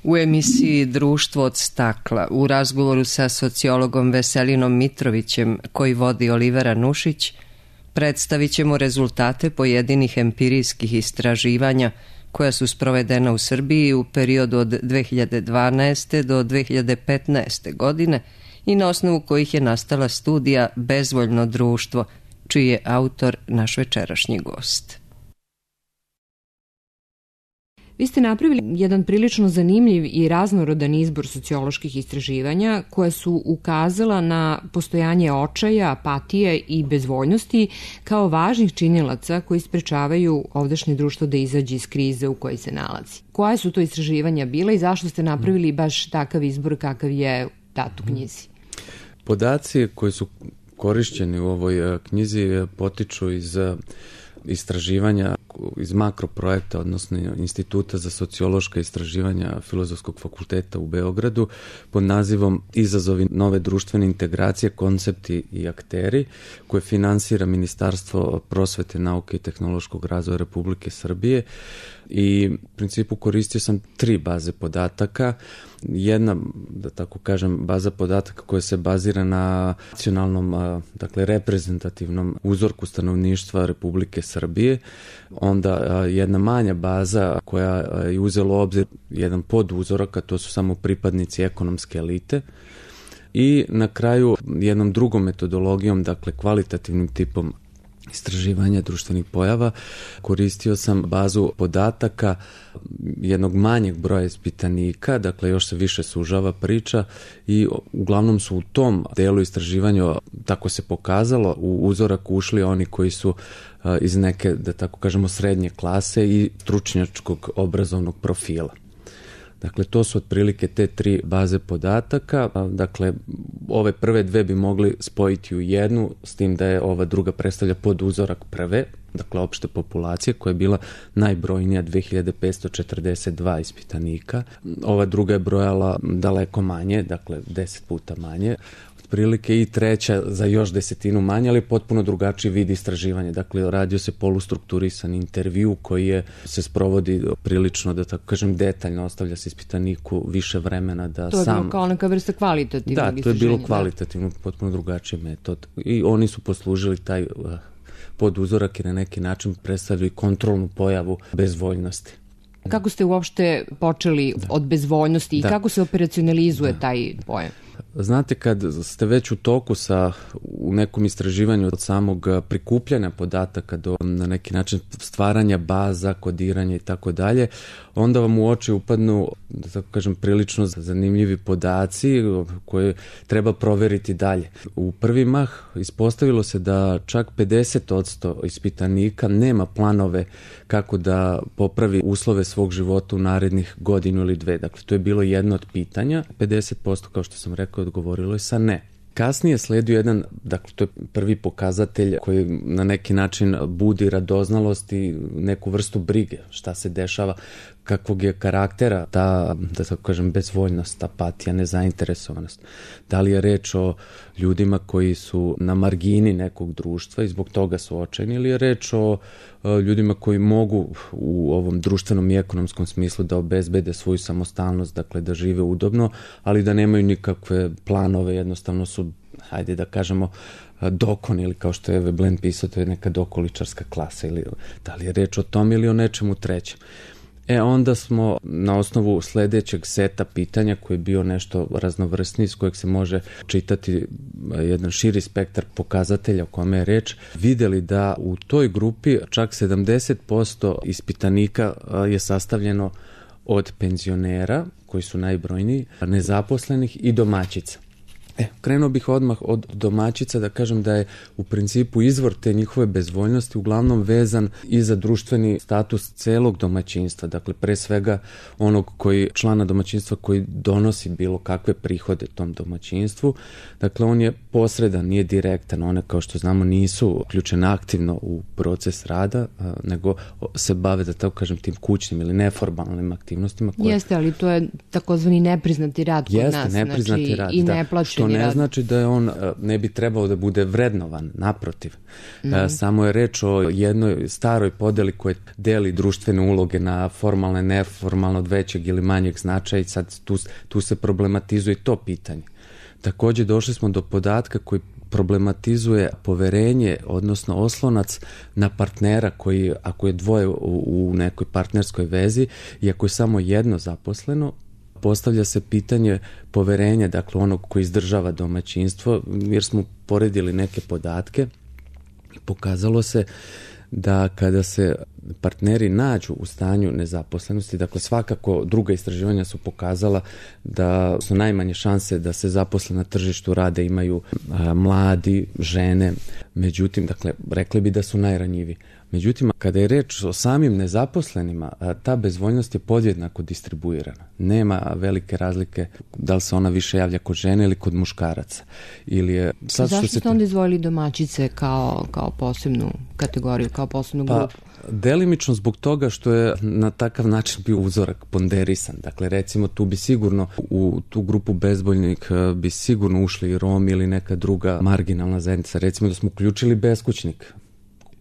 U emisiji Društvo od stakla u razgovoru sa sociologom Veselinom Mitrovićem, koji vodi Olivera Nušić, predstavit ćemo rezultate pojedinih empirijskih istraživanja koja su sprovedena u Srbiji u periodu od 2012. do 2015. godine i na osnovu kojih je nastala studija Bezvoljno društvo, čiji je autor naš večerašnji gost. Vi ste napravili jedan prilično zanimljiv i raznorodan izbor socioloških istraživanja koja su ukazala na postojanje očaja, apatije i bezvoljnosti kao važnih činilaca koji sprečavaju ovdašnje društvo da izađe iz krize u kojoj se nalazi. Koje su to istraživanja bila i zašto ste napravili baš takav izbor kakav je dat u knjizi? Podaci koji su korišćeni u ovoj knjizi potiču iz istraživanja iz makroprojekta, odnosno Instituta za sociološka istraživanja Filozofskog fakulteta u Beogradu pod nazivom Izazovi nove društvene integracije, koncepti i akteri, koje finansira Ministarstvo prosvete, nauke i tehnološkog razvoja Republike Srbije. I u principu koristio sam 3 baze podataka. Jedna, da tako kažem, baza podataka koja se bazira na nacionalnom, dakle reprezentativnom uzorku stanovništva Republike Srbije. Onda jedna manja baza koja je uzela u obzir jedan poduzorak, a to su samo pripadnici ekonomske elite. I na kraju jednom drugom metodologijom, dakle kvalitativnim tipom istraživanja društvenih pojava, koristio sam bazu podataka jednog manjeg broja ispitanika, dakle još se više sužava priča i uglavnom su u tom delu istraživanja, tako se pokazalo, u uzorak ušli oni koji su iz neke, da tako kažemo, srednje klase i stručnjačkog obrazovnog profila. Dakle, to su otprilike te 3 baze podataka. Dakle, ove prve 2 bi mogli spojiti u jednu, s tim da je ova druga predstavlja poduzorak prve, dakle opšte populacije, koja je bila najbrojnija, 2542 ispitanika. Ova druga je brojala daleko manje, dakle 10 puta manje. Prilike i treća za još 10 manje, ali potpuno drugačiji vid istraživanja. Dakle, radio se polustrukturisan intervju koji se sprovodi prilično, da tako kažem, detaljno, ostavlja se ispitaniku više vremena da sam... To je bilo kao neka vrsta kvalitativnog istraženja. Da, to je bilo kvalitativno, potpuno drugačiji metod. I oni su poslužili taj poduzorak i na neki način predstavili kontrolnu pojavu bezvoljnosti. Kako ste uopšte počeli od bezvoljnosti i kako se operacionalizuje taj pojam? Znate, kad ste već u toku u nekom istraživanju od samog prikupljanja podataka do na neki način stvaranja baza, kodiranja i tako dalje, onda vam u oči upadnu, da tako kažem, prilično zanimljivi podaci koje treba proveriti dalje. U prvi mah ispostavilo se da čak 50% ispitanika nema planove kako da popravi uslove svog života u narednih godinu ili 2. Dakle, to je bilo jedno od pitanja. 50%, kao što sam rekao, odgovorilo je sa ne. Kasnije sledio jedan, dakle to je prvi pokazatelj koji na neki način budi radoznalost i neku vrstu brige, šta se dešava, kakvog je karaktera ta, da tako kažem, bezvoljnost, apatija, nezainteresovanost. Da li je reč o ljudima koji su na margini nekog društva i zbog toga su očajni, ili je reč o ljudima koji mogu u ovom društvenom i ekonomskom smislu da obezbede svoju samostalnost, dakle da žive udobno, ali da nemaju nikakve planove, jednostavno su, hajde da kažemo, dokon, ili kao što je Veblen pisao, to je neka dokoličarska klasa, ili da li je reč o tom ili o nečemu trećem. Onda smo na osnovu sledećeg seta pitanja, koji je bio nešto raznovrsniji, s kojeg se može čitati jedan širi spektar pokazatelja o kome je reč, videli da u toj grupi čak 70% ispitanika je sastavljeno od penzionera, koji su najbrojniji, nezaposlenih i domaćica. Krenuo bih odmah od domaćica, da kažem da je u principu izvor te njihove bezvoljnosti uglavnom vezan i za društveni status celog domaćinstva, dakle pre svega onog člana domaćinstva koji donosi bilo kakve prihode tom domaćinstvu. Dakle, on je posredan, nije direktan, one kao što znamo nisu uključene aktivno u proces rada, nego se bave, da tako kažem, tim kućnim ili neformalnim aktivnostima. Jeste, ali to je takozvani nepriznati rad kod nas, nepriznati rad, i neplaćeni. To ne znači da je on ne bi trebao da bude vrednovan, naprotiv. Samo je reč o jednoj staroj podeli koja deli društvene uloge na formalne, neformalno, od većeg ili manjeg značaja i sad tu se problematizuje to pitanje. Također došli smo do podatka koji problematizuje poverenje, odnosno oslonac na partnera koji, ako je dvoje u nekoj partnerskoj vezi i ako je samo jedno zaposleno, postavlja se pitanje poverenja, dakle onog koji izdržava domaćinstvo, jer smo poredili neke podatke i pokazalo se da kada se partneri nađu u stanju nezaposlenosti, dakle svakako druga istraživanja su pokazala da su najmanje šanse da se zaposle na tržištu rada imaju mladi, žene, međutim, dakle, rekli bi da su najranjiviji. Međutim, kada je reč o samim nezaposlenima, ta bezvoljnost je podjednako distribuirana. Nema velike razlike da li se ona više javlja kod žene ili kod muškaraca. Zašto ste onda izdvojili domaćice kao posebnu kategoriju, kao posebnu grupu? Delimično zbog toga što je na takav način bio uzorak ponderisan. Dakle, recimo, tu bi sigurno u tu grupu bezvoljnih bi sigurno ušli i Romi ili neka druga marginalna zajednica. Recimo da smo uključili beskućnik,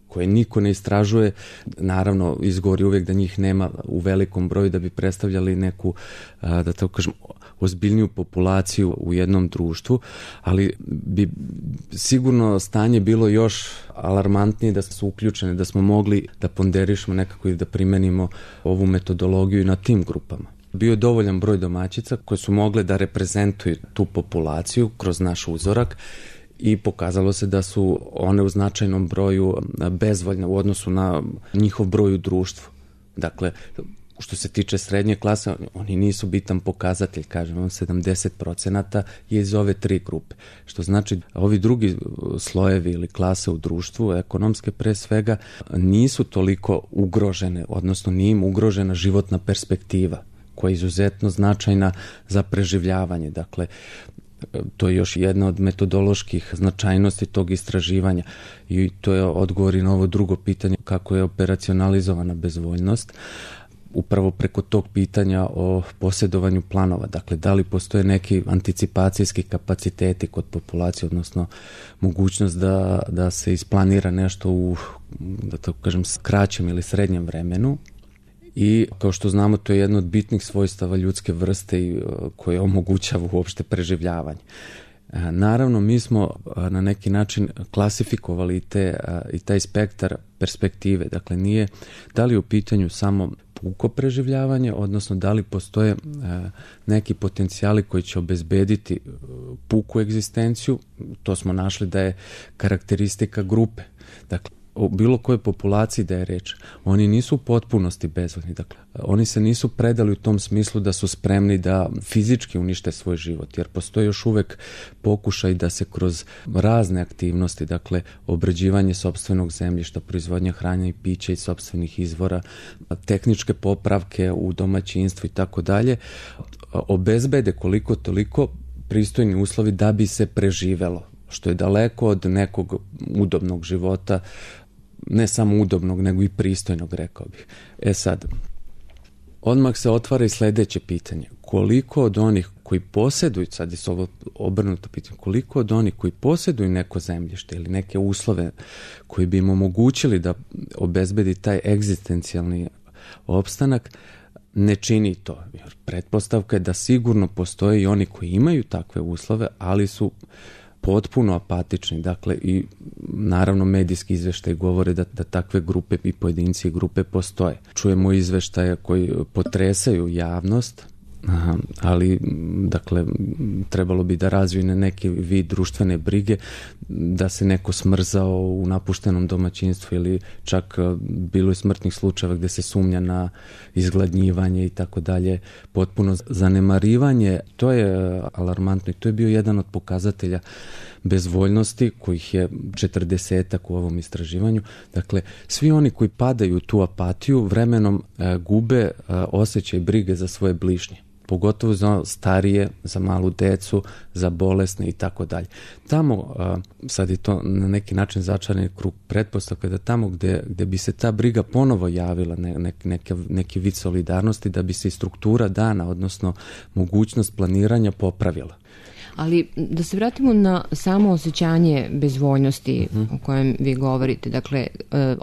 koje niko ne istražuje, naravno izgovori uvijek da njih nema u velikom broju da bi predstavljali neku, da tako kažem, ozbiljniju populaciju u jednom društvu, ali bi sigurno stanje bilo još alarmantnije da su uključene, da smo mogli da ponderišemo nekako i da primenimo ovu metodologiju i na tim grupama. Bio je dovoljan broj domaćica koje su mogle da reprezentuju tu populaciju kroz naš uzorak i pokazalo se da su one u značajnom broju bezvoljne u odnosu na njihov broj u društvu. Dakle, što se tiče srednje klase, oni nisu bitan pokazatelj, kažem, 70% je iz ove tri grupe. Što znači, ovi drugi slojevi ili klase u društvu, ekonomske pre svega, nisu toliko ugrožene, odnosno nije im ugrožena životna perspektiva, koja je izuzetno značajna za preživljavanje. Dakle, to je još jedna od metodoloških značajnosti tog istraživanja i to je odgovor i na ovo drugo pitanje kako je operacionalizovana bezvoljnost. Upravo preko tog pitanja o posjedovanju planova, dakle da li postoje neki anticipacijski kapaciteti kod populacije, odnosno mogućnost da se isplanira nešto u, da tako kažem, kraćem ili srednjem vremenu. I kao što znamo, to je jedno od bitnih svojstava ljudske vrste koje omogućava uopšte preživljavanje. Naravno, mi smo na neki način klasifikovali i taj spektar perspektive. Dakle, nije da li u pitanju samo puko preživljavanje, odnosno da li postoje neki potencijali koji će obezbediti puku egzistenciju. To smo našli da je karakteristika grupe. Dakle, o bilo kojoj populaciji da je reč, oni nisu u potpunosti bezvoljni. Dakle, oni se nisu predali u tom smislu da su spremni da fizički unište svoj život, jer postoji još uvek pokušaj da se kroz razne aktivnosti, dakle, obrađivanje sopstvenog zemljišta, proizvodnja hrane i pića iz sopstvenih izvora, tehničke popravke u domaćinstvu i tako dalje, obezbede koliko toliko pristojni uslovi da bi se preživelo, što je daleko od nekog udobnog života, ne samo udobnog, nego i pristojnog, rekao bih. Sad, odmah se otvara i sledeće pitanje. Koliko od onih koji posjeduju, sad je ovo obrnuto pitanje, koliko od onih koji posjeduju neko zemljište ili neke uslove koji bi im omogućili da obezbedi taj egzistencijalni opstanak, ne čini to. Jer pretpostavka je da sigurno postoje i oni koji imaju takve uslove, ali su potpuno apatični. Dakle, i naravno medijski izveštaj govore da takve grupe i pojedinci i grupe postoje. Čujemo izveštaje koji potresaju javnost, ali dakle trebalo bi da razviju na neki vid društvene brige, da se neko smrzao u napuštenom domaćinstvu ili čak bilo je smrtnih slučajeva gde se sumnja na izgladnjivanje i tako dalje, potpuno zanemarivanje. To je alarmantno i to je bio jedan od pokazatelja bezvoljnosti, kojih je 40 u ovom istraživanju. Dakle, svi oni koji padaju u tu apatiju vremenom gube osjećaj brige za svoje bližnje, pogotovo za starije, za malu decu, za bolesne i tako dalje. Tamo, sad je to na neki način začarani krug pretpostavka, da tamo gde bi se ta briga ponovo javila, neki vid solidarnosti, da bi se i struktura dana, odnosno mogućnost planiranja popravila. Ali da se vratimo na samo osjećanje bezvoljnosti o kojem vi govorite. Dakle,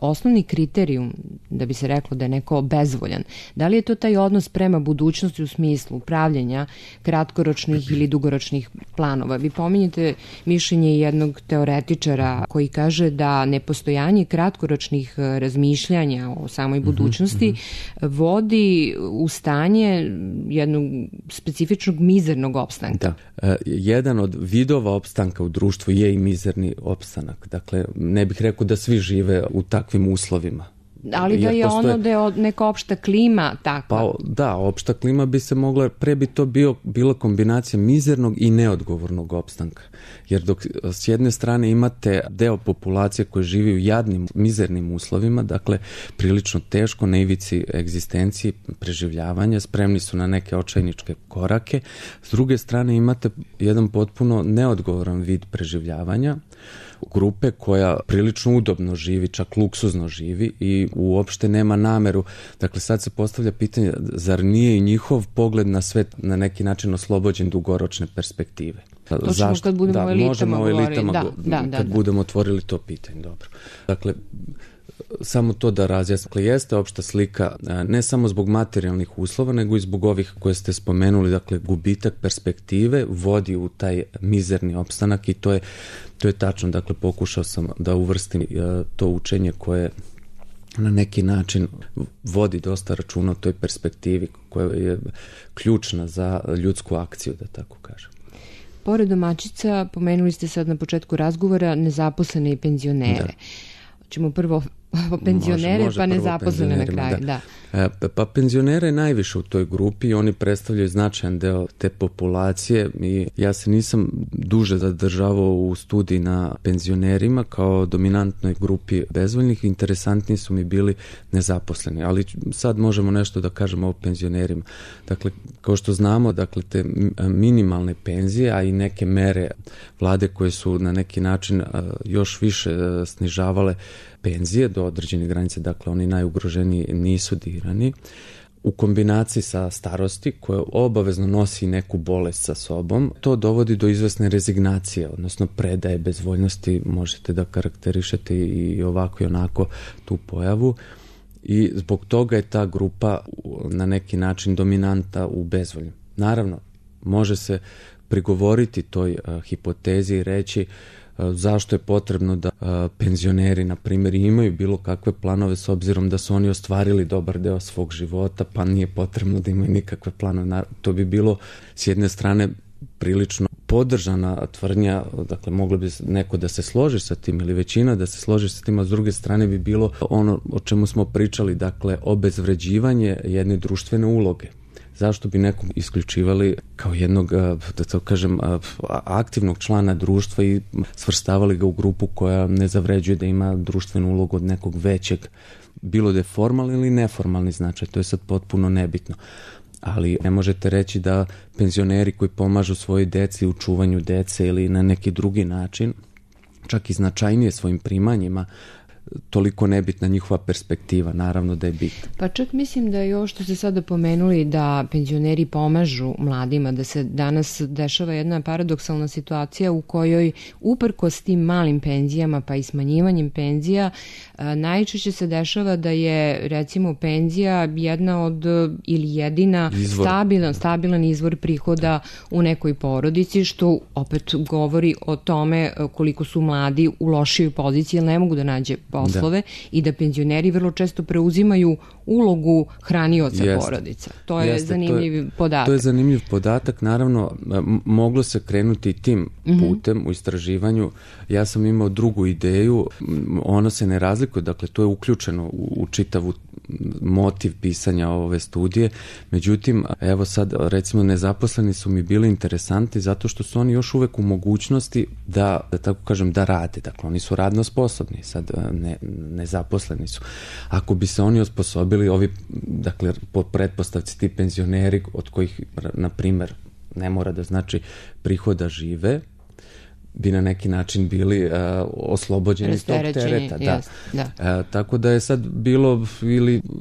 osnovni kriterijum da bi se reklo da je neko bezvoljan, da li je to taj odnos prema budućnosti u smislu pravljenja kratkoročnih ili dugoročnih planova? Vi pominjete mišljenje jednog teoretičara koji kaže da nepostojanje kratkoročnih razmišljanja o samoj budućnosti vodi u stanje jednog specifičnog mizernog opstanka. Da. Jedan od vidova opstanka u društvu je i mizerni opstanak. Dakle, ne bih rekao da svi žive u takvim uslovima. Ali da je ono da je neka opšta klima takva. Pa da, opšta klima bi se mogla, pre bi to bila kombinacija mizernog i neodgovornog opstanka. Jer dok s jedne strane imate deo populacije koji živi u jadnim, mizernim uslovima, dakle prilično teško, na ivici egzistencije, preživljavanja, spremni su na neke očajničke korake. S druge strane imate jedan potpuno neodgovoran vid preživljavanja, grupe koja prilično udobno živi, čak luksuzno živi i uopšte nema nameru. Dakle, sad se postavlja pitanje, zar nije i njihov pogled na svet na neki način oslobođen dugoročne perspektive? Zašto? Kad budemo o elitama govorili. Kad budemo otvorili to pitanje, dobro. Dakle, samo to da razjasnim. Jeste opšta slika ne samo zbog materijalnih uslova, nego i zbog ovih koje ste spomenuli, dakle gubitak perspektive vodi u taj mizerni opstanak i to je tačno. Dakle, pokušao sam da uvrstim to učenje koje na neki način vodi dosta računa o toj perspektivi koja je ključna za ljudsku akciju, da tako kažem. Pored domaćica, pomenuli ste sad na početku razgovora nezaposlene i penzionere. Ćemo prvo penzionere, može pa nezaposlene na kraju. Da. Pa penzionere je najviše u toj grupi i oni predstavljaju značajan deo te populacije i ja se nisam duže zadržavao u studiji na penzionerima kao dominantnoj grupi bezvoljnih. Interesantni su mi bili nezaposleni, ali sad možemo nešto da kažemo o penzionerima. Dakle, kao što znamo, dakle, te minimalne penzije, a i neke mere vlade koje su na neki način još više snižavale penzije do određene granice, dakle oni najugroženiji nisu dirani, u kombinaciji sa starosti koja obavezno nosi neku bolest sa sobom, to dovodi do izvesne rezignacije, odnosno predaje, bezvoljnosti, možete da karakterišete i ovako i onako tu pojavu i zbog toga je ta grupa na neki način dominanta u bezvolju. Naravno, može se prigovoriti toj hipotezi i reći zašto je potrebno da penzioneri, na primjer, imaju bilo kakve planove s obzirom da su oni ostvarili dobar deo svog života, pa nije potrebno da imaju nikakve planove. To bi bilo s jedne strane prilično podržana tvrdnja, dakle moglo bi neko da se složi sa tim ili većina da se složi sa tim, a s druge strane bi bilo ono o čemu smo pričali, dakle obezvređivanje jedne društvene uloge. Zašto bi nekog isključivali kao jednog, da to kažem, aktivnog člana društva i svrstavali ga u grupu koja ne zavređuje da ima društvenu ulogu od nekog većeg, bilo da je formalni ili neformalni značaj, to je sad potpuno nebitno. Ali ne možete reći da penzioneri koji pomažu svojoj deci u čuvanju dece ili na neki drugi način, čak i značajnije svojim primanjima, toliko nebitna njihova perspektiva, naravno da je bitna. Pa čak mislim da je ovo što ste sada pomenuli da penzioneri pomažu mladima, da se danas dešava jedna paradoksalna situacija u kojoj uprkos tim malim penzijama pa i smanjivanjem penzija najčešće se dešava da je recimo penzija jedna od ili jedina stabilan izvor prihoda u nekoj porodici, što opet govori o tome koliko su mladi u lošijoj poziciji jer ne mogu da nađe poslove i da penzioneri vrlo često preuzimaju ulogu hranioca porodica. To je zanimljiv podatak. To je zanimljiv podatak. Naravno, moglo se krenuti tim putem u istraživanju. Ja sam imao drugu ideju. Ono se ne razlikuje, dakle, to je uključeno u čitavu motiv pisanja ove studije. Međutim, evo sad, recimo, nezaposleni su mi bili interesanti zato što su oni još uvek u mogućnosti da tako kažem, da rade. Dakle, oni su radno sposobni, sad nezaposleni su. Ako bi se oni osposobili, ovi, dakle, po pretpostavci ti penzioneri od kojih, na primer, ne mora da znači prihoda žive, bi na neki način bili oslobođeni iz tog tereta. Da. Tako da je sad bilo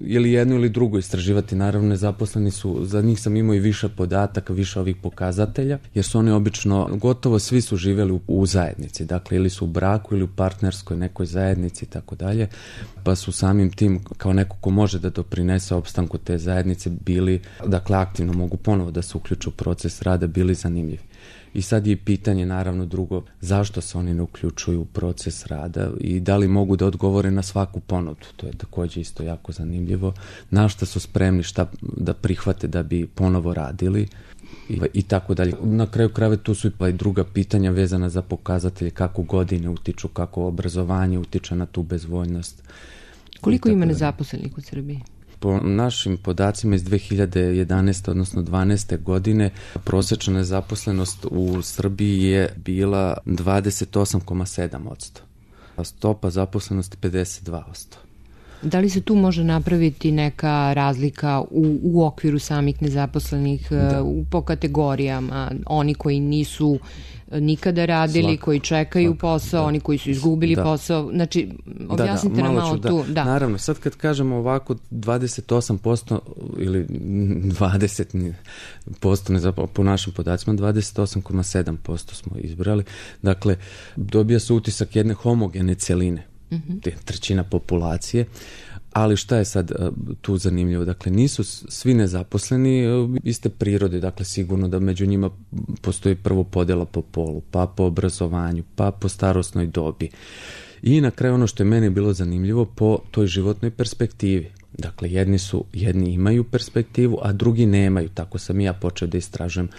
ili jedno ili drugo istraživati. Naravno, nezaposleni su, za njih sam imao i više podataka, više ovih pokazatelja, jer su oni obično, gotovo svi su živjeli u zajednici, dakle ili su u braku ili u partnerskoj nekoj zajednici i tako dalje, pa su samim tim kao neko ko može da doprinese opstanku te zajednice bili, dakle aktivno mogu ponovo da se uključu u proces rada, bili zanimljivi. I sad je pitanje naravno drugo, zašto se oni ne uključuju u proces rada i da li mogu da odgovore na svaku ponudu, to je također isto jako zanimljivo, na šta su spremni, šta da prihvate da bi ponovo radili i tako dalje. Na kraju krajeva tu su i druga pitanja vezana za pokazatelje, kako godine utiču, kako obrazovanje utiče na tu bezvoljnost. Koliko ima nezaposlenih u Srbiji? Po našim podacima iz 2011. odnosno 12. godine prosječna nezaposlenost u Srbiji je bila 28,7%, a stopa zaposlenosti 52%. Da li se tu može napraviti neka razlika u okviru samih nezaposlenih po kategorijama, oni koji nisu nikada radili, koji čekaju posao, oni koji su izgubili posao, znači objasnite nam malo tu. Da. Naravno, sad kad kažemo ovako 28% ili 20% po našim podacima, 28,7% smo izbrali, dakle dobija se utisak jedne homogene cjeline, trećina populacije. Ali šta je sad tu zanimljivo? Dakle, nisu svi nezaposleni iste prirode, dakle sigurno da među njima postoji prvo podjela po polu, pa po obrazovanju, pa po starosnoj dobi. I na kraju ono što je meni bilo zanimljivo po toj životnoj perspektivi. Dakle, jedni imaju perspektivu, a drugi nemaju. Tako sam i ja počeo da istražujem,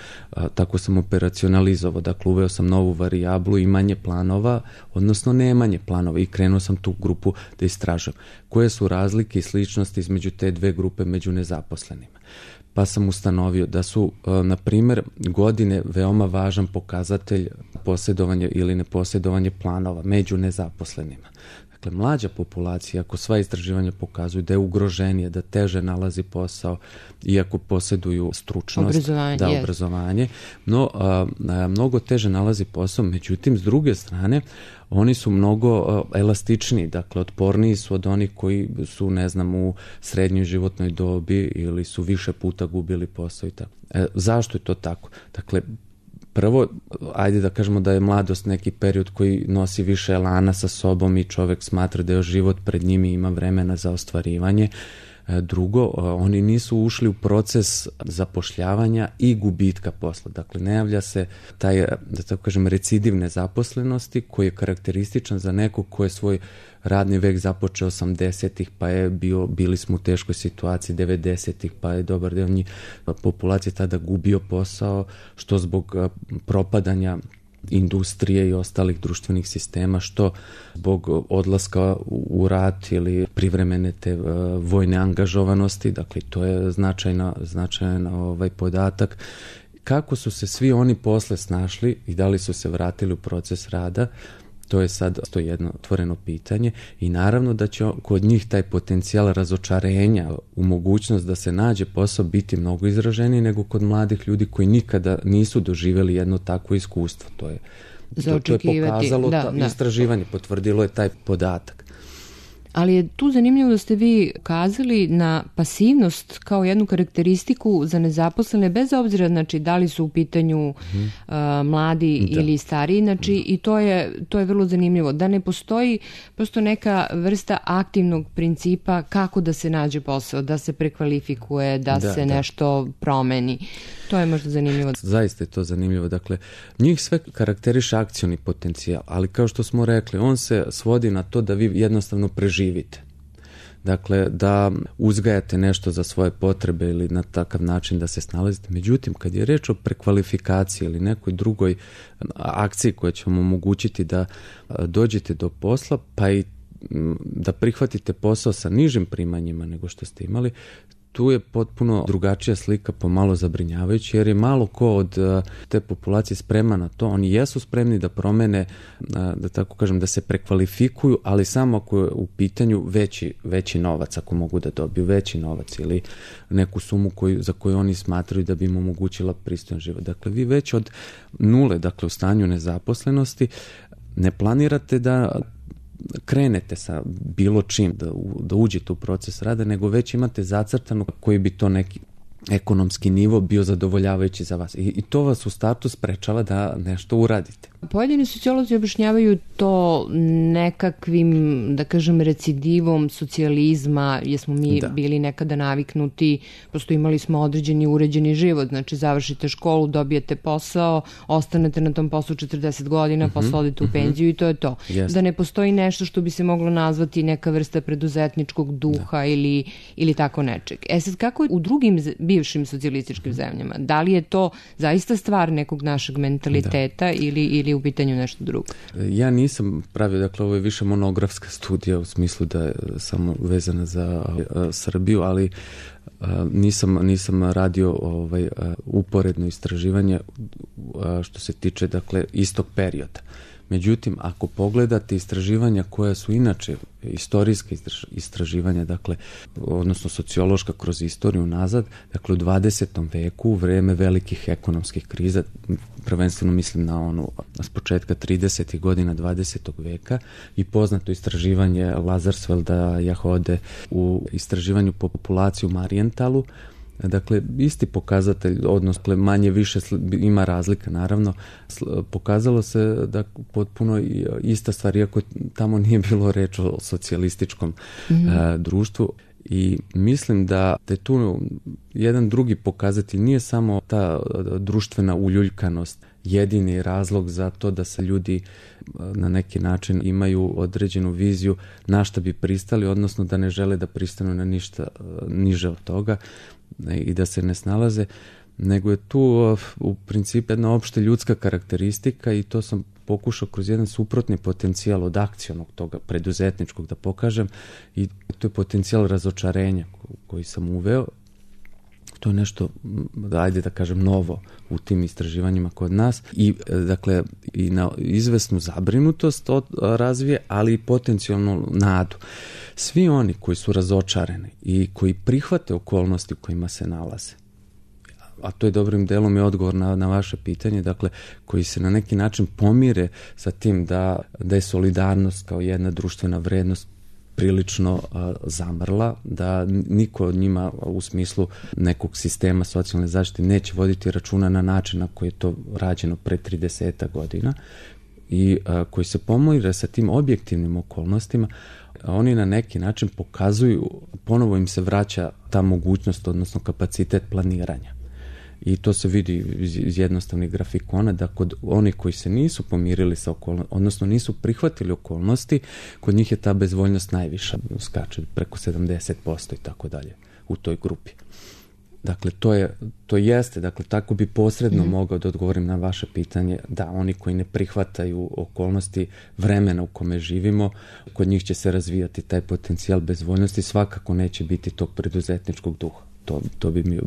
tako sam operacionalizovao. Dakle, uveo sam novu varijablu, imanje planova, odnosno nemanje planova i krenuo sam tu grupu da istražujem. Koje su razlike i sličnosti između te dve grupe među nezaposlenima? Pa sam ustanovio da su, na primjer, godine veoma važan pokazatelj posjedovanja ili neposjedovanje planova među nezaposlenima. Dakle, mlađa populacija, ako sva istraživanja pokazuju da je ugroženije, da teže nalazi posao, iako posjeduju stručnost, obrazovanje, no mnogo teže nalazi posao, međutim, s druge strane, oni su mnogo elastičniji, dakle, otporniji su od onih koji su, ne znam, u srednjoj životnoj dobi ili su više puta gubili posao i tako. Zašto je to tako? Dakle, prvo, ajde da kažemo da je mladost neki period koji nosi više elana sa sobom i čovjek smatra da je život pred njim i ima vremena za ostvarivanje. Drugo, oni nisu ušli u proces zapošljavanja i gubitka posla. Dakle, ne javlja se taj, da tako kažem, recidiv nezaposlenosti koji je karakterističan za nekog ko je svoj radni vek započeo 80-ih, pa je bili smo u teškoj situaciji 90-ih, pa je dobar deo njih populacije tada gubio posao, što zbog propadanja industrije i ostalih društvenih sistema, što zbog odlaska u rat ili privremene te vojne angažovanosti, dakle to je značajan podatak. Kako su se svi oni posle snašli i da li su se vratili u proces rada, to je sad jedno otvoreno pitanje i naravno da će kod njih taj potencijal razočarenja u mogućnost da se nađe posao biti mnogo izraženiji nego kod mladih ljudi koji nikada nisu doživjeli jedno takvo iskustvo. To je pokazalo, istraživanje potvrdilo je taj podatak. Ali je tu zanimljivo da ste vi ukazali na pasivnost kao jednu karakteristiku za nezaposlene, bez obzira, znači, da li su u pitanju mladi ili stariji, znači, i to je vrlo zanimljivo. Da ne postoji prosto neka vrsta aktivnog principa kako da se nađe posao, da se prekvalifikuje, da se nešto promeni. To je možda zanimljivo. Zaista je to zanimljivo. Dakle, njih sve karakteriše akcioni potencijal, ali kao što smo rekli, on se svodi na to da vi jednostavno preživite. Dakle, da uzgajate nešto za svoje potrebe ili na takav način da se snalazite. Međutim, kad je reč o prekvalifikaciji ili nekoj drugoj akciji koja će vam omogućiti da dođete do posla, pa i da prihvatite posao sa nižim primanjima nego što ste imali, tu je potpuno drugačija slika, pomalo zabrinjavajuća, jer je malo ko od te populacije spreman na to. Oni jesu spremni da promene, da tako kažem, da se prekvalifikuju, ali samo ako je u pitanju veći novac, ako mogu da dobiju veći novac ili neku sumu za koju oni smatraju da bi im omogućila pristojan život. Dakle, vi već od nule, dakle u stanju nezaposlenosti, ne planirate da krenete sa bilo čim, da uđete u proces rada, nego već imate zacrtano koji bi to neki ekonomski nivo bio zadovoljavajući za vas. I to vas u startu sprečava da nešto uradite. Pojedini sociolozi objašnjavaju to nekakvim, da kažem, recidivom socijalizma, jer smo mi bili nekada naviknuti, prosto imali smo određeni uređeni život, znači završite školu, dobijete posao, ostanete na tom poslu 40 godina, posle odete u penziju i to je to. Yes. Da ne postoji nešto što bi se moglo nazvati neka vrsta preduzetničkog duha ili tako nečeg. Sad, kako je u drugim bivšim socijalističkim zemljama? Da li je to zaista stvar nekog našeg mentaliteta ili u pitanju nešto drugo? Ja nisam pravio, dakle ovo je više monografska studija u smislu da je samo vezana za Srbiju, ali nisam radio uporedno istraživanje što se tiče, dakle, istog perioda. Međutim, ako pogledate istraživanja koja su inače istorijska istraživanja, dakle, odnosno sociološka kroz istoriju nazad, dakle u 20. veku, u vreme velikih ekonomskih kriza, prvenstveno mislim na s početka 30. godina 20. veka, i poznato istraživanje Lazarsfelda, Jahode u istraživanju populacije u Marijentalu. Dakle, isti pokazatelj, odnosno manje više ima razlika, naravno, pokazalo se da potpuno ista stvar, iako tamo nije bilo reč o socijalističkom društvu. I mislim da je tu jedan drugi pokazatelj, nije samo ta društvena uljuljkanost jedini razlog za to da se ljudi na neki način imaju određenu viziju na šta bi pristali, odnosno da ne žele da pristanu na ništa niže od toga i da se ne snalaze, nego je tu u principu jedna opšta ljudska karakteristika, i to sam pokušao kroz jedan suprotni potencijal od akcionog toga preduzetničkog da pokažem, i to je potencijal razočarenja koji sam uveo. To je nešto, ajde da kažem, novo u tim istraživanjima kod nas, i dakle i na izvesnu zabrinutost razvije, ali i potencijalnu nadu. Svi oni koji su razočarani i koji prihvate okolnosti u kojima se nalaze, a to je dobrim delom i odgovor na vaše pitanje, dakle, koji se na neki način pomire sa tim da je solidarnost kao jedna društvena vrednost prilično zamrla, da niko od njima u smislu nekog sistema socijalne zaštite neće voditi računa na način na koji je to rađeno pre 30 godina, i koji se pomire sa tim objektivnim okolnostima, oni na neki način pokazuju, ponovo im se vraća ta mogućnost, odnosno kapacitet planiranja. I to se vidi iz jednostavnih grafikona, da kod onih koji se nisu pomirili sa okolnostima, odnosno nisu prihvatili okolnosti, kod njih je ta bezvoljnost najviša, skače preko 70% i tako dalje u toj grupi. Dakle, to jeste, dakle, tako bi posredno mogao da odgovorim na vaše pitanje, da oni koji ne prihvataju okolnosti vremena u kome živimo, kod njih će se razvijati taj potencijal bezvoljnosti, svakako neće biti tog preduzetničkog duha. To bi mi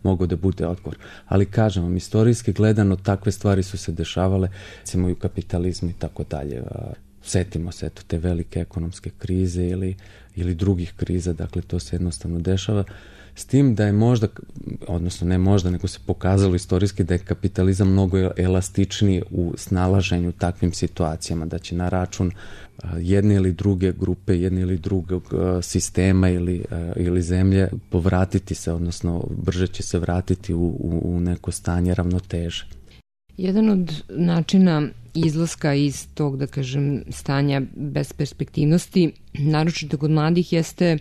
mogao da bude odgovor. Ali kažem vam, istorijski gledano, takve stvari su se dešavale, recimo i u kapitalizmu i tako dalje. Setimo se te velike ekonomske krize ili drugih kriza, dakle to se jednostavno dešava. S tim da je možda, odnosno ne možda, nego se pokazalo istorijski da je kapitalizam mnogo elastičniji u snalaženju takvim situacijama, da će na račun jedne ili druge grupe, jedne ili drugog sistema ili zemlje povratiti se, odnosno brže će se vratiti u neko stanje ravnoteže. Jedan od načina izlaska iz tog, da kažem, stanja besperspektivnosti, naročito kod mladih, jeste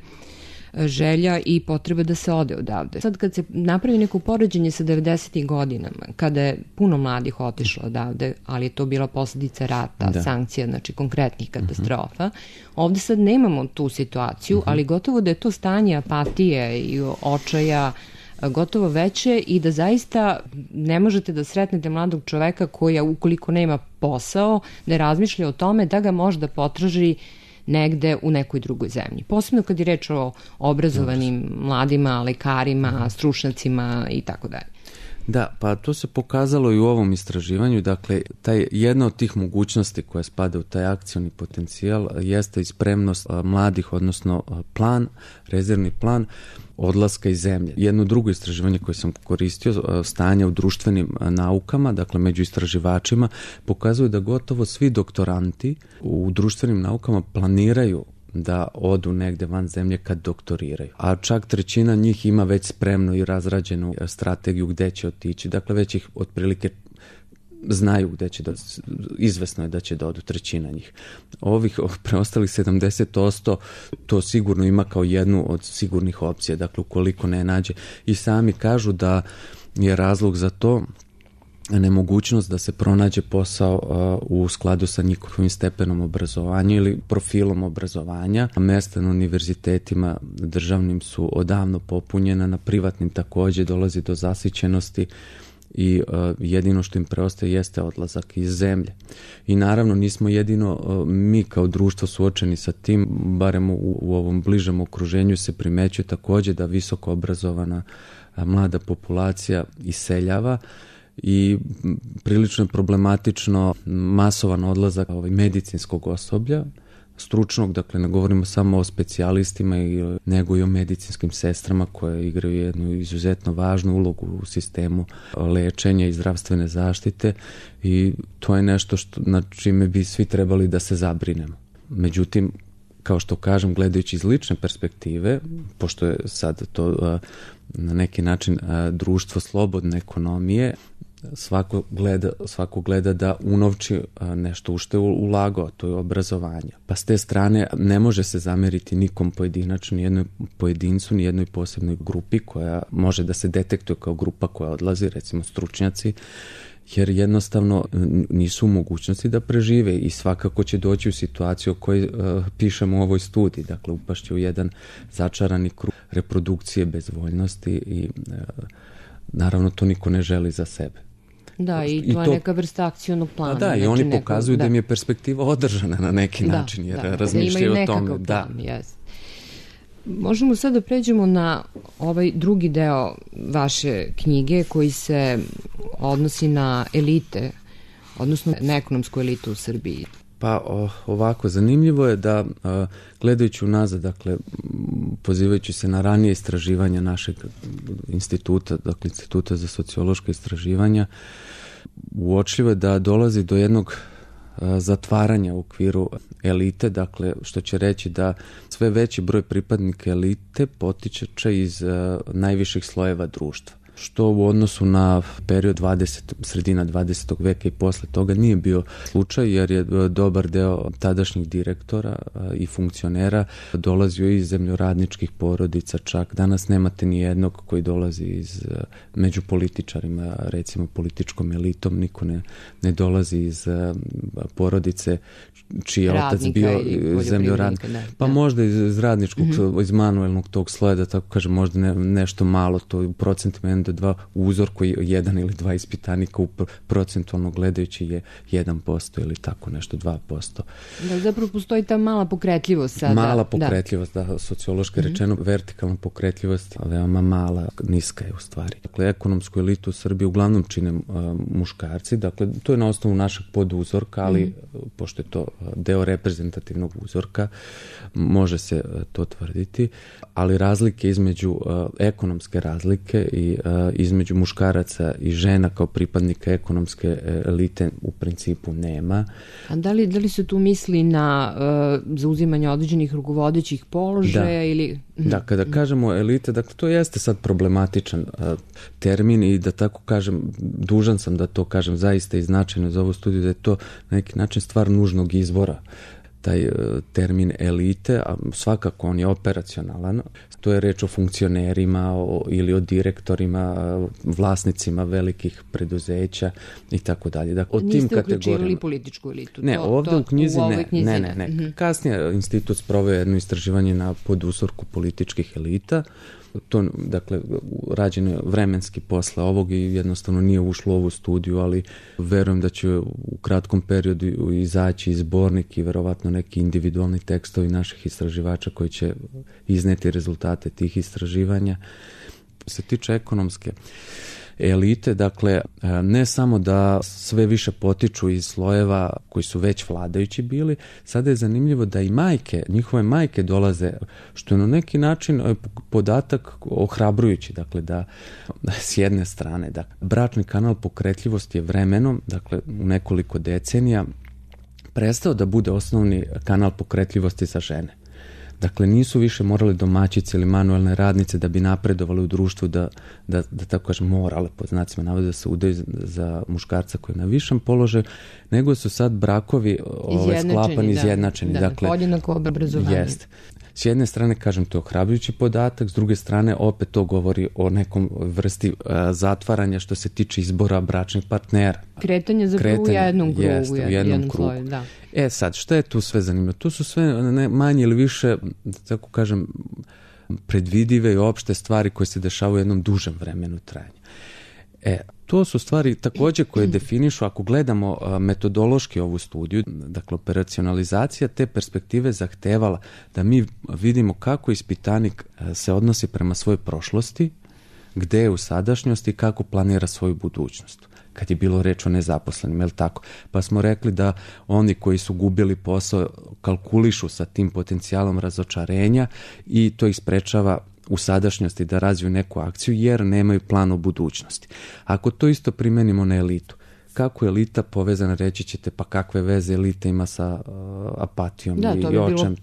želja i potreba da se ode odavde. Sad kad se napravi neko poređenje sa 90. godinama, kada je puno mladih otišlo odavde, ali je to bila posljedica rata, sankcija, znači konkretnih katastrofa, ovde sad nemamo tu situaciju, ali gotovo da je to stanje apatije i očaja gotovo veće, i da zaista ne možete da sretnete mladog čoveka koji, ukoliko nema posao, ne razmišlja o tome da ga možda potraži negde u nekoj drugoj zemlji. Posebno kad je reč o obrazovanim mladima, lekarima, stručnjacima i tako dalje. Da, pa to se pokazalo i u ovom istraživanju, dakle, jedna od tih mogućnosti koja spada u taj akcioni potencijal jeste i spremnost mladih, odnosno rezervni plan odlaska iz zemlje. Jedno drugo istraživanje koje sam koristio, stanje u društvenim naukama, dakle među istraživačima, pokazuju da gotovo svi doktoranti u društvenim naukama planiraju da odu negde van zemlje kad doktoriraju. A čak trećina njih ima već spremnu i razrađenu strategiju gde će otići. Dakle, već ih otprilike znaju gde će izvesno je da će da odu, trećina njih. Ovih preostalih 70% to sigurno ima kao jednu od sigurnih opcija, dakle ukoliko ne nađe. I sami kažu da je razlog za to nemogućnost da se pronađe posao u skladu sa njihovim stepenom obrazovanja ili profilom obrazovanja. Mesta na univerzitetima državnim su odavno popunjena, na privatnim takođe dolazi do zasićenosti i jedino što im preostaje jeste odlazak iz zemlje. I naravno nismo jedino mi kao društvo suočeni sa tim, barem u ovom bližem okruženju se primećuje takođe da visoko obrazovana mlada populacija iseljava i prilično je problematično masovan odlazak medicinskog osoblja, stručnog, dakle ne govorimo samo o specijalistima nego i o medicinskim sestrama koje igraju jednu izuzetno važnu ulogu u sistemu lečenja i zdravstvene zaštite i to je nešto na čime bi svi trebali da se zabrinemo. Međutim, kao što kažem, gledajući iz lične perspektive, pošto je sad to na neki način društvo slobodne ekonomije, svako gleda da unovči nešto u što je ulagao, to je obrazovanje. Pa s te strane ne može se zameriti nikom pojedinačno, ni jednoj pojedincu, ni jednoj posebnoj grupi koja može da se detektuje kao grupa koja odlazi, recimo stručnjaci, jer jednostavno nisu u mogućnosti da prežive i svakako će doći u situaciju o kojoj pišemo u ovoj studiji, dakle upašće u jedan začarani krug reprodukcije bezvoljnosti i naravno to niko ne želi za sebe. Da, i to je neka vrsta akcionog plana. Da, i oni pokazuju da im je perspektiva održana na neki način, jer razmišljaju o tome. Da. Možemo sad da pređemo na ovaj drugi deo vaše knjige koji se odnosi na elite, odnosno na ekonomsku elitu u Srbiji. Pa ovako, zanimljivo je da gledajući unazad, dakle pozivajući se na ranije istraživanja našeg instituta, dakle Instituta za sociološka istraživanja, uočljivo je da dolazi do jednog zatvaranja u okviru elite, dakle što će reći da sve veći broj pripadnika elite potiče iz najviših slojeva društva, što u odnosu na period sredina 20. veka i posle toga nije bio slučaj, jer je dobar deo tadašnjih direktora i funkcionera dolazio iz zemljoradničkih porodica, čak danas nemate ni jednog koji dolazi među političarima, recimo političkom elitom, niko ne dolazi iz porodice čiji je otac bio zemljoradnik. Pa možda iz radničkog, iz manuelnog tog sloja, da tako kažem, možda nešto malo, to u procentima 1 do 2, u uzorku 1 ili 2 ispitanika procentualno gledajući je 1% ili tako nešto, 2%. Da, zapravo postoji ta mala pokretljivost sada. Mala pokretljivost, da, sociološki rečeno, vertikalna pokretljivost, veoma mala, niska je u stvari. Dakle, ekonomsku elitu u Srbiji uglavnom čine muškarci, dakle, to je na osnovu našeg poduzorka, ali pošto je to deo reprezentativnog uzorka, može se to tvrditi, ali razlike između ekonomske razlike i između muškaraca i žena kao pripadnika ekonomske elite u principu nema. A da li se tu misli na zauzimanje određenih rukovodećih položaja ili... Da, kada kažemo elite, dakle to jeste sad problematičan termin i da tako kažem, dužan sam da to kažem zaista i značajno za ovu studiju, da je to na neki način stvar nužnog izvora. Taj termin elite, a svakako on je operacionalan, to je reč o funkcionerima ili o direktorima, vlasnicima velikih preduzeća i tako dalje. Dakle, niste uključivali političku elitu? Ne, ovde u knjizi ne. Kasnije institut sproveo jedno istraživanje na poduzorku političkih elita. To, dakle, rađeno je vremenski posle ovog i jednostavno nije ušlo u ovu studiju, ali verujem da će u kratkom periodu izaći zbornik i verovatno vjerojatno neki individualni tekstovi naših istraživača koji će izneti rezultate tih istraživanja. Se tiče ekonomske elite, dakle, ne samo da sve više potiču iz slojeva koji su već vladajući bili, sada je zanimljivo da i majke, njihove majke dolaze, što je na neki način podatak ohrabrujući, dakle, da s jedne strane, da bračni kanal pokretljivosti je vremenom, dakle, u nekoliko decenija, prestao da bude osnovni kanal pokretljivosti za žene. Dakle, nisu više morali domaćice ili manuelne radnice da bi napredovali u društvu, da tako kažem, morale, pod znacima navoda, da se udaju za muškarca koji je na višem položaju, nego su sad brakovi sklapani, izjednačeni. Dakle, podjednako obrazovanje. Jeste. S jedne strane, kažem, to je ohrabrujući podatak, s druge strane, opet to govori o nekom vrsti zatvaranja što se tiče izbora bračnih partnera. Kretanje zapravo u jednom krugu. Jeste, u jednom krugu. Sloju, da. Sad, šta je tu sve zanimljivo? Tu su sve manje ili više, tako kažem, predvidive i opšte stvari koje se dešavaju u jednom dužem vremenu trajanja. To su stvari također koje definišu, ako gledamo metodološki ovu studiju, dakle operacionalizacija te perspektive zahtevala da mi vidimo kako ispitanik se odnosi prema svojoj prošlosti, gde je u sadašnjosti i kako planira svoju budućnost. Kad je bilo reč o nezaposlenim, je li tako? Pa smo rekli da oni koji su gubili posao kalkulišu sa tim potencijalom razočarenja i to ih sprečava u sadašnjosti da razviju neku akciju jer nemaju plan o budućnosti. Ako to isto primenimo na elitu, kako je elita povezana, reći ćete, pa kakve veze elita ima sa apatijom i očem.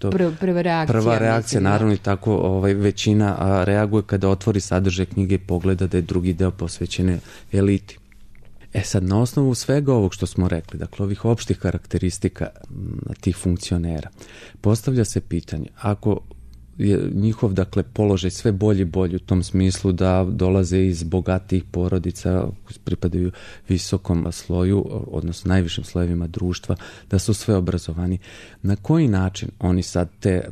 Prva reakcija, naravno, i tako većina reaguje kada otvori sadržaj knjige i pogleda da je drugi deo posvećen eliti. Sad, na osnovu svega ovog što smo rekli, dakle ovih opštih karakteristika tih funkcionera, postavlja se pitanje, ako je njihov, dakle, položaj sve bolji i bolji u tom smislu da dolaze iz bogatijih porodica, pripadaju visokom sloju, odnosno najvišim slojevima društva, da su sve obrazovani. Na koji način oni sad te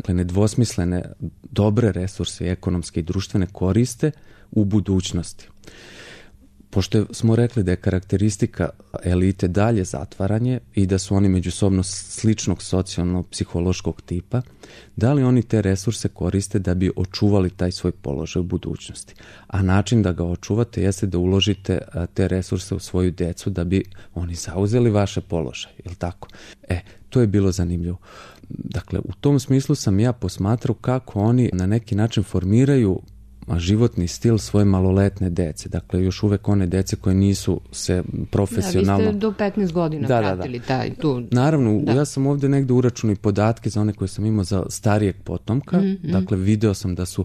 nedvosmislene dobre resurse ekonomske i društvene koriste u budućnosti? Pošto smo rekli da je karakteristika elite dalje zatvaranje i da su oni međusobno sličnog socijalno-psihološkog tipa, da li oni te resurse koriste da bi očuvali taj svoj položaj u budućnosti? A način da ga očuvate jeste da uložite te resurse u svoju decu da bi oni zauzeli vaše položaje, je li tako? To je bilo zanimljivo. Dakle, u tom smislu sam ja posmatrao kako oni na neki način formiraju životni stil svoje maloletne dece. Dakle, još uvek one dece koje nisu se profesionalno... Vi ste do 15 godina pratili taj tu... Naravno, ja sam ovdje negde uračunao i podatke za one koje sam imao za starijeg potomka. Dakle, video sam da su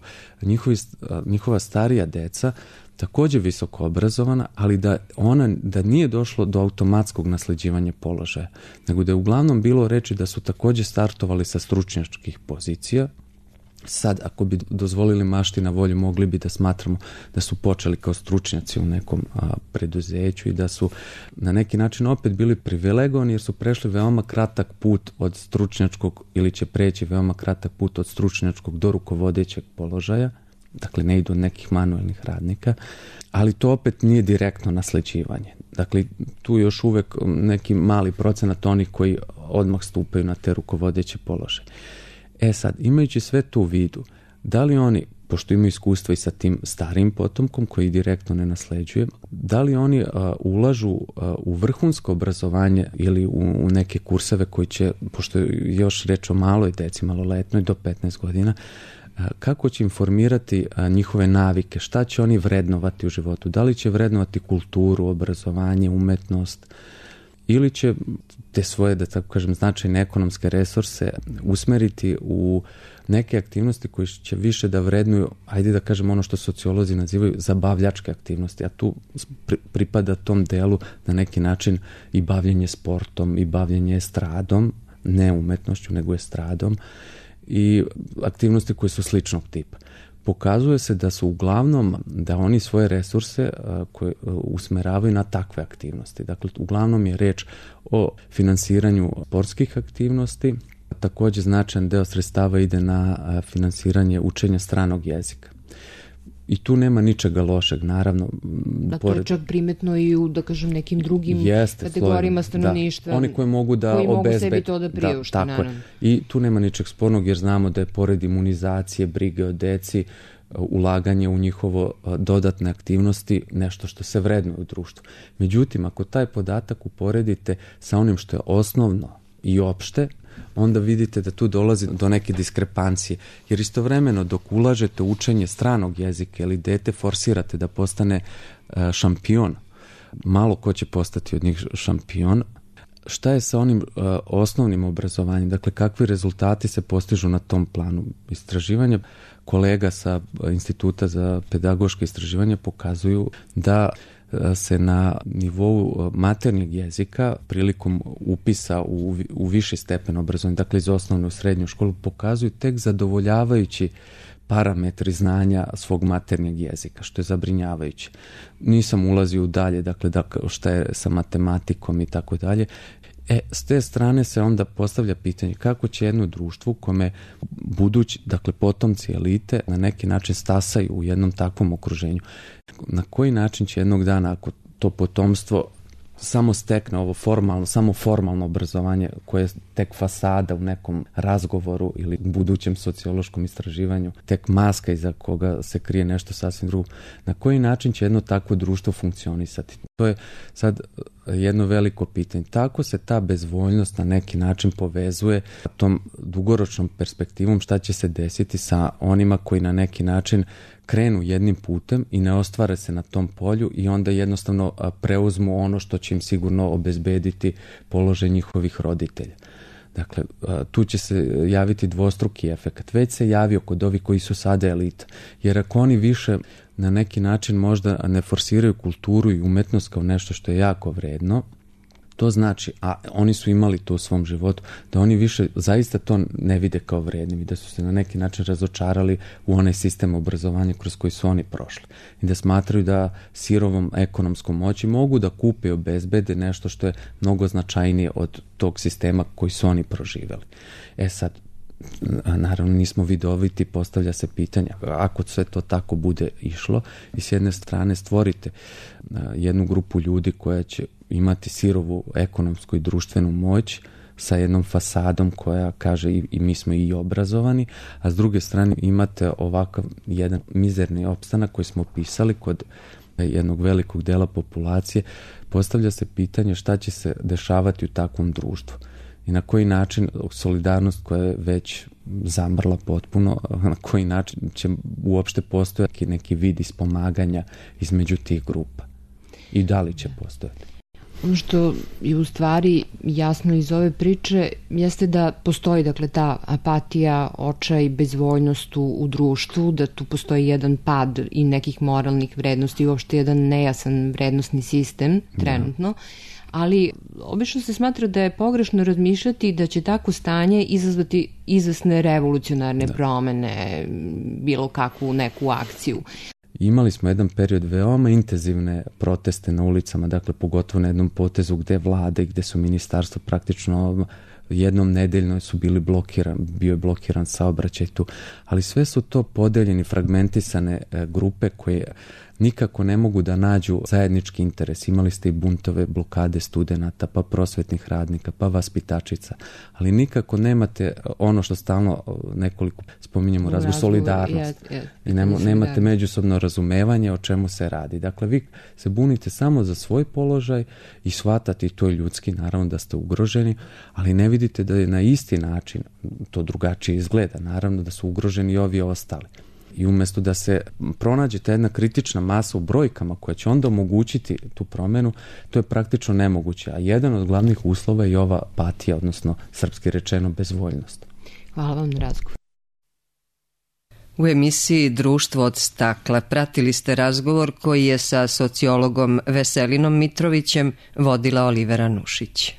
njihova starija deca također visoko obrazovana, ali da nije došlo do automatskog nasleđivanja položaja, nego da je uglavnom bilo reči da su također startovali sa stručnjačkih pozicija. Sad, ako bi dozvolili mašti na volju, mogli bi da smatramo da su počeli kao stručnjaci u nekom preduzeću i da su na neki način opet bili privilegovani jer su prešli veoma kratak put od stručnjačkog ili će preći veoma kratak put od stručnjačkog do rukovodećeg položaja. Dakle, ne idu od nekih manuelnih radnika, ali to opet nije direktno nasleđivanje. Dakle, tu još uvek neki mali procenat onih koji odmah stupaju na te rukovodeće položaje. Sad, imajući sve to u vidu, da li oni, pošto imaju iskustva i sa tim starim potomkom koji direktno ne nasleđuje, da li oni ulažu u vrhunsko obrazovanje ili u neke kurseve koji će, pošto je još reč o maloj deci, maloletnoj do 15 godina, kako će informirati njihove navike, šta će oni vrednovati u životu, da li će vrednovati kulturu, obrazovanje, umetnost, ili će te svoje, da tako kažem, značajne ekonomske resurse usmeriti u neke aktivnosti koje će više da vrednuju, ajde da kažem ono što sociolozi nazivaju zabavljačke aktivnosti, a tu pripada tom delu na neki način i bavljenje sportom i bavljenje estradom, ne umetnošću, nego estradom, i aktivnosti koje su sličnog tipa. Pokazuje se da su uglavnom, da oni svoje resurse koje usmeravaju na takve aktivnosti. Dakle, uglavnom je reč o finansiranju sportskih aktivnosti. Također značajan deo sredstava ide na finansiranje učenja stranog jezika. I tu nema ničega lošeg, naravno. Da, to je čak primetno i u, da kažem, nekim drugim kategorijama stanovništva. Da, oni koji mogu da mogu sebi to da priušte, naravno. I tu nema ničeg spornog, jer znamo da je pored imunizacije, brige o deci, ulaganje u njihovo dodatne aktivnosti nešto što se vrednuje u društvu. Međutim, ako taj podatak uporedite sa onim što je osnovno i opšte, onda vidite da tu dolazi do neke diskrepancije. Jer istovremeno dok ulažete u učenje stranog jezika ili dete forsirate da postane šampion, malo ko će postati od njih šampion. Šta je sa onim osnovnim obrazovanjem? Dakle, kakvi rezultati se postižu na tom planu istraživanja? Kolega sa Instituta za pedagoške istraživanja pokazuju da se na nivou maternjeg jezika prilikom upisa u viši stepen obrazovanja, dakle iz osnovne u srednju školu, pokazuju tek zadovoljavajući parametri znanja svog maternjeg jezika, što je zabrinjavajuće. Nisam ulazio dalje, dakle šta je sa matematikom i tako dalje. S te strane se onda postavlja pitanje kako će jedno društvo u kome budući, dakle potomci elite na neki način stasaju u jednom takvom okruženju. Na koji način će jednog dana, ako to potomstvo samo stekne ovo samo formalno obrazovanje koje je tek fasada u nekom razgovoru ili budućem sociološkom istraživanju, tek maska iza koga se krije nešto sasvim drugo. Na koji način će jedno takvo društvo funkcionisati? To je sad jedno veliko pitanje. Tako se ta bezvoljnost na neki način povezuje tom dugoročnom perspektivom šta će se desiti sa onima koji na neki način krenu jednim putem i ne ostvare se na tom polju i onda jednostavno preuzmu ono što će im sigurno obezbediti položaj njihovih roditelja. Dakle, tu će se javiti dvostruki efekt. Već se javio kod ovih koji su sada elita. Jer ako oni više na neki način možda ne forsiraju kulturu i umetnost kao nešto što je jako vredno, to znači, a oni su imali to u svom životu, da oni više zaista to ne vide kao vrednim i da su se na neki način razočarali u onaj sistem obrazovanja kroz koji su oni prošli. I da smatraju da sirovom ekonomskom moći mogu da kupe i obezbede nešto što je mnogo značajnije od tog sistema koji su oni proživjeli. Sad, naravno nismo vidoviti, postavlja se pitanje ako sve to tako bude išlo i s jedne strane stvorite jednu grupu ljudi koja će imati sirovu ekonomsku i društvenu moć sa jednom fasadom koja kaže i mi smo i obrazovani, a s druge strane imate ovakav jedan mizerni opstanak koji smo opisali kod jednog velikog dela populacije. Postavlja se pitanje šta će se dešavati u takvom društvu i na koji način solidarnost koja je već zamrla potpuno, na koji način će uopšte postojati neki vid ispomaganja između tih grupa i da li će postojati. Ono što je u stvari jasno iz ove priče jeste da postoji dakle ta apatija, očaj, bezvoljnost u društvu, da tu postoji jedan pad i nekih moralnih vrednosti i uopšte jedan nejasan vrednostni sistem trenutno. Ali obično se smatra da je pogrešno razmišljati da će tako stanje izazvati izvesne revolucionarne promene, bilo kakvu neku akciju. Imali smo jedan period veoma intenzivne proteste na ulicama, dakle pogotovo na jednom potezu gde vlade i gde su ministarstvo praktično jednom nedeljno su bili bio je blokiran saobraćaj tu, ali sve su to podeljeni, fragmentisane grupe koje nikako ne mogu da nađu zajednički interes. Imali ste i buntove, blokade studenata, pa prosvetnih radnika, pa vaspitačica, ali nikako nemate ono što stalno nekoliko spominjemo razvoj solidarnost i nemate međusobno razumevanje o čemu se radi. Dakle, vi se bunite samo za svoj položaj i shvatate, i to je ljudski, naravno da ste ugroženi, ali ne vidite da je na isti način, to drugačije izgleda, naravno da su ugroženi i ovi ostali. I umjesto da se pronađe ta jedna kritična masa u brojkama koja će onda omogućiti tu promenu, to je praktično nemoguće. A jedan od glavnih uslova je ova apatija, odnosno srpski rečeno bezvoljnost. Hvala vam na razgovor. U emisiji Društvo od stakla pratili ste razgovor koji je sa sociologom Veselinom Mitrovićem vodila Olivera Nušić.